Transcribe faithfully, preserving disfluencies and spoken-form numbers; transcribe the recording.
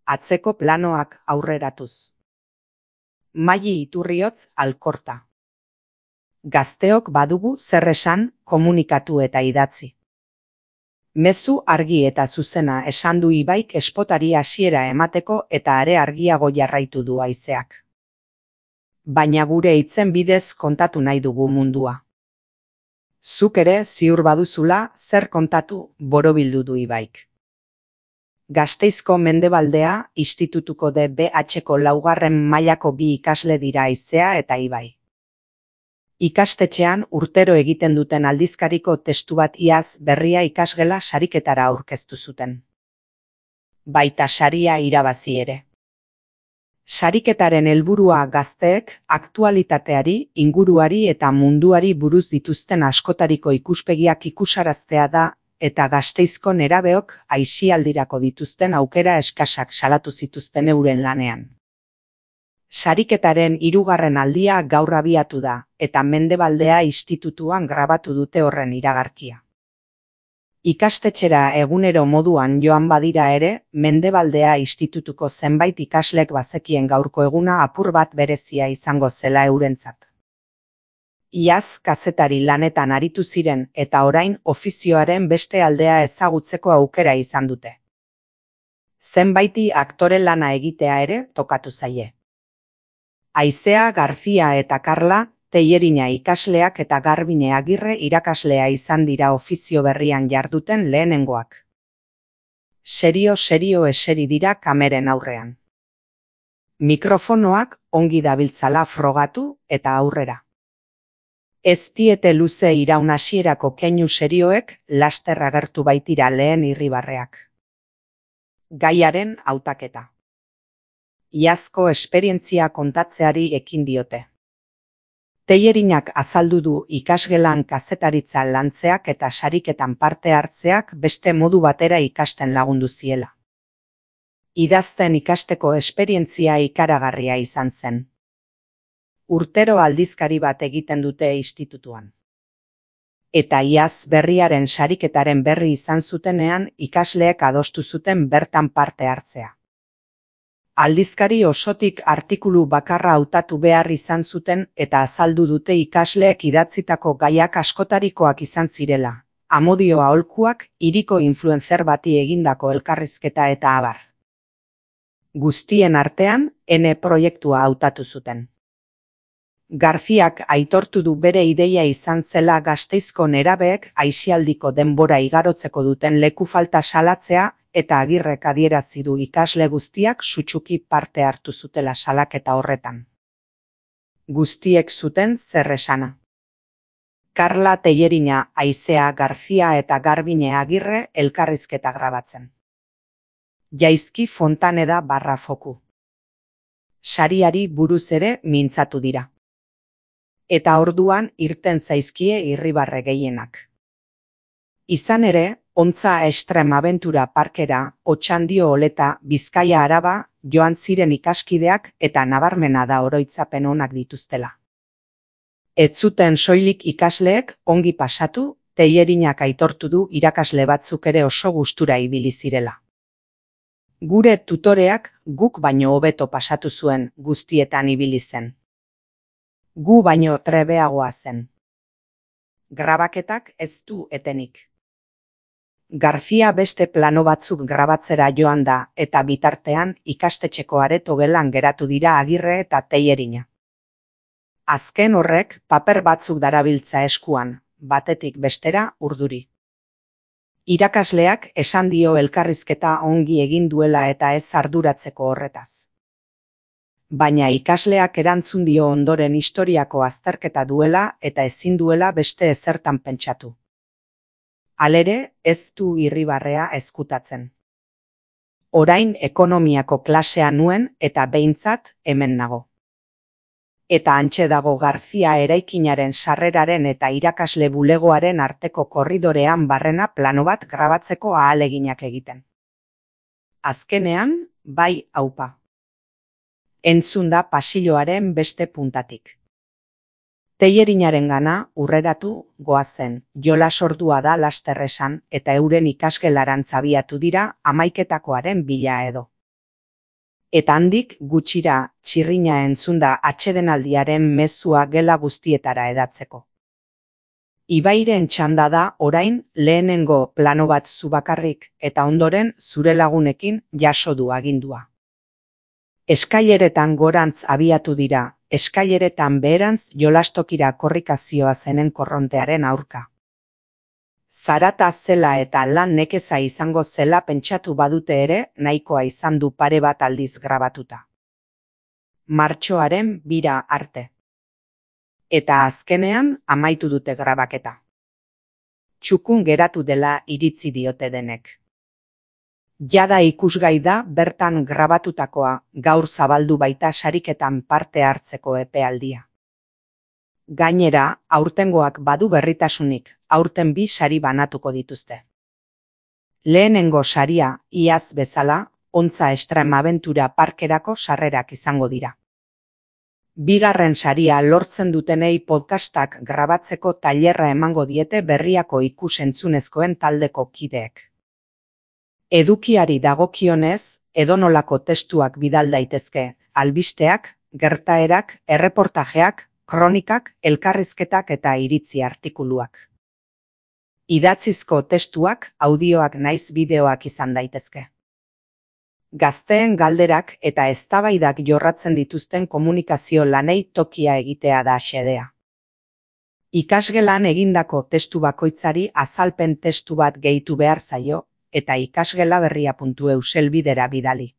atzeko planoak aurreratuz. Maili Iturriotz Alkorta. Gazteok badugu zer esan, komunikatu eta idatzi. Mezu argi eta zuzena esan du Ibaik espotari hasiera emateko eta are argiago jarraitu du haizeak. Baina gure hitzen bidez kontatu nahi dugu mundua. Zuk ere ziur baduzula zer kontatu borobildu du Ibaik. Gasteizko Mendebaldea institutuko D B H-ko laugarren mailako bi ikasle dira Haizea eta Ibai. Ikastetxean urtero egiten duten aldizkariko testu bat iaz berria ikasgela sariketara aurkeztu zuten. Baita saria irabazi ere. Sariketaren helburua gazteek aktualitateari, inguruari eta munduari buruz dituzten askotariko ikuspegiak ikusaraztea da eta Gasteizko nerabeok aisialdirako dituzten aukera eskasak salatu zituzten euren lanean. Sariketaren hirugarren aldia gaur abiatu da, eta Mendebaldea institutuan grabatu dute horren iragarkia. Ikastetxera egunero moduan joan badira ere, Mendebaldea institutuko zenbait ikaslek bazekien gaurko eguna apur bat berezia izango zela eurentzat. Iaz kazetari lanetan aritu ziren eta orain ofizioaren beste aldea ezagutzeko aukera izan dute. Zenbaiti aktore lana egitea ere tokatu zaie. Haizea Garzia eta Karla, Tellerina ikasleak eta Garbine Agirre irakaslea izan dira ofizio berrian jarduten lehenengoak. Serio-serio eseri dira kameren aurrean. Mikrofonoak ongi dabiltzala frogatu eta aurrera. Ez diete luze iraun hasierako keinu serioek laster agertu baitira lehen irribarreak. Gaiaren hautaketa. Iazko esperientzia kontatzeari ekin diote. Tellerinak azaldu du ikasgelan kazetaritza lantzeak eta sariketan parte hartzeak beste modu batera ikasten lagundu ziela. Idazten ikasteko esperientzia ikaragarria izan zen. Urtero aldizkari bat egiten dute institutuan. Eta iaz berriaren sariketaren berri izan zutenean ikasleek adostu zuten bertan parte hartzea. Aldizkari osotik artikulu bakarra hautatu behar izan zuten eta azaldu dute ikasleek idatzitako gaiak askotarikoak izan zirela, Amodio aholkuak, hiriko influencer bati egindako elkarrizketa eta abar. Guztien artean, N proiektua hautatu zuten. Garziak aitortu du bere ideia izan zela Gasteizko nerabeek aisialdiko denbora igarotzeko duten leku falta salatzea eta Agirrek adierazi du ikasle guztiak sutsuki parte hartu zutela salaketa horretan. Guztiek zuten zer esana. Karla Tellerina, Haizea Garzia eta Garbine Agirre elkarrizketa grabatzen. Jaizki Fontaneda barra foku. Sariari buruz ere mintzatu dira. Eta orduan irten zaizkie irribarre gehienak. Izan ere, Ontza Estrem Abentura Parkera, Otxandio Oleta, Bizkaia Araba, joan ziren ikaskideak eta nabarmena da oroitzapen onak dituztela. Ez zuten soilik ikasleek ongi pasatu, Tellerinak aitortu du irakasle batzuk ere oso gustura ibili zirela. Gure tutoreak guk baino hobeto pasatu zuen guztietan ibili zen. Gu baino trebeagoa zen. Grabaketak ez du etenik. Garzia beste plano batzuk grabatzera joan da eta bitartean ikastetxeko areto gelan geratu dira Agirre eta Tellerina. Azken horrek paper batzuk darabiltza eskuan, batetik bestera urduri. Irakasleak esan dio elkarrizketa ongi egin duela eta ez arduratzeko horretaz. Baina ikasleak erantzun dio ondoren historiako azterketa duela eta ezin duela beste ezertan pentsatu. Halere, ez du irribarrea ezkutatzen. Orain ekonomiako klasea nuen eta behintzat hemen nago. Eta hantxe dago Garzia eraikinaren sarreraren eta irakasle bulegoaren arteko korridorean barrena plano bat grabatzeko ahaleginak egiten. Azkenean, bai aupa. Entzun da pasilloaren beste puntatik. Tellerinarengana urreratu goazen, jolas ordua da laster esan eta euren ikasgelarantz abiatu dira hamaiketakoaren bila edo. Eta handik gutxira txirrina entzunda atsedenaldiaren mezua gela guztietara edatzeko. Ibairen txanda da orain lehenengo plano bat zu bakarrik eta ondoren zure lagunekin jaso du agindua. Eskaileretan gorantz abiatu dira, eskaileretan beherantz jolastokira korrikazioa zenen korrontearen aurka. Zarata zela eta lan nekeza izango zela pentsatu badute ere nahikoa izan du pare bat aldiz grabatuta. Martxoaren bira arte. Eta azkenean amaitu dute grabaketa. Txukun geratu dela iritzi diote denek. Jada ikusgai da bertan grabatutakoa, gaur zabaldu baita sariketan parte hartzeko epealdia. Gainera, aurtengoak badu berritasunik, aurten bi sari banatuko dituzte. Lehenengo saria, iaz bezala, Ontza Extremaventura parkerako sarrerak izango dira. Bigarren saria lortzen dutenei podcastak grabatzeko tailerra emango diete Berriako ikus-entzunezkoen taldeko kideek. Edukiari dagokionez, edonolako testuak bidal daitezke, albisteak, gertaerak, erreportajeak, kronikak, elkarrizketak eta iritzi artikuluak. Idatzizko testuak, audioak naiz bideoak izan daitezke. Gazteen galderak eta eztabaidak jorratzen dituzten komunikazio lanei tokia egitea da xedea. Ikasgelan egindako testu bakoitzari azalpen testu bat gehitu behar zaio, eta ikasgelaberria puntu eu selbidera bidali.